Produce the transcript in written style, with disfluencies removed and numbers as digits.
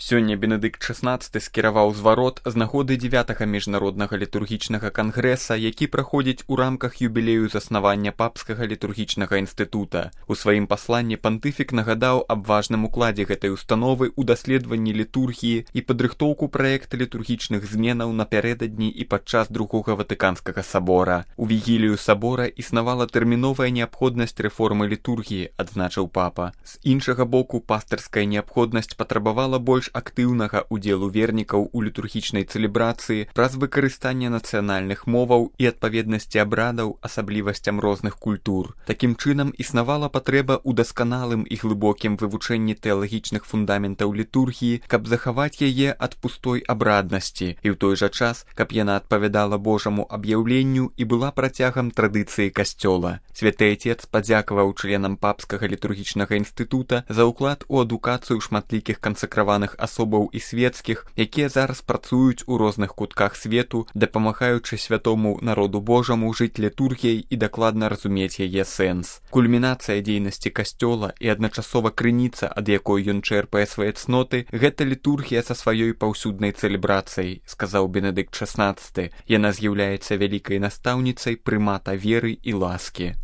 Сёння Бенедыкт XVI скіраваў зварот з нагоды 9-га міжнароднага літургічнага кангрэса, які праходзіць у рамках юбілею заснавання папскага літургічнага інстытута. У сваім пасланні пантыфік нагадаў аб важным укладзе гэтай установы ў даследаванні літургіі і падрыхтоўку праекта літургічных зменаў напярэдадні і падчас Другога Ватыканскага сабора. У вігілію сабора існавала тэрміновая неабходнасць рэформы літургіі, адзначыў папа. З іншага боку, пастырская неабходнасць патрабавала больш актыўнага ўдзелу вернікаў у літургічнай цэлебрацыі праз выкарыстанне нацыянальных моваў і адпаведнасці абрадаў асаблівасцям розных культур. Такім чынам існавала патрэба ў дасканалым і глыбокім вывучэнні тэалагічных фундаментаў літургіі, каб захаваць яе ад пустой абраднасці і ў той жа час, каб яна адпавядала Божаму аб'яўленню і была працягам традыцыі касцёла. Святы Отец падзякаваў членам папскага літургічнага інстытута за ўклад у адукацыю шматлікіх кансакраваных асобаў і свецкіх, якія зараз працуюць у розных кутках свету, дапамагаючы святому народу Божаму жыць літургіяй і дакладна разумець яе сэнс. Кульмінацыя дзейнасці касцёла і адначасова крыніца, ад якой ён чэрпае свае цноты, гэта літургія са сваёй паўсюднай цэлебрацыяй, сказаў Бенедыкт XVI. Яна з'яўляецца вялікай настаўніцай прымата веры і ласкі.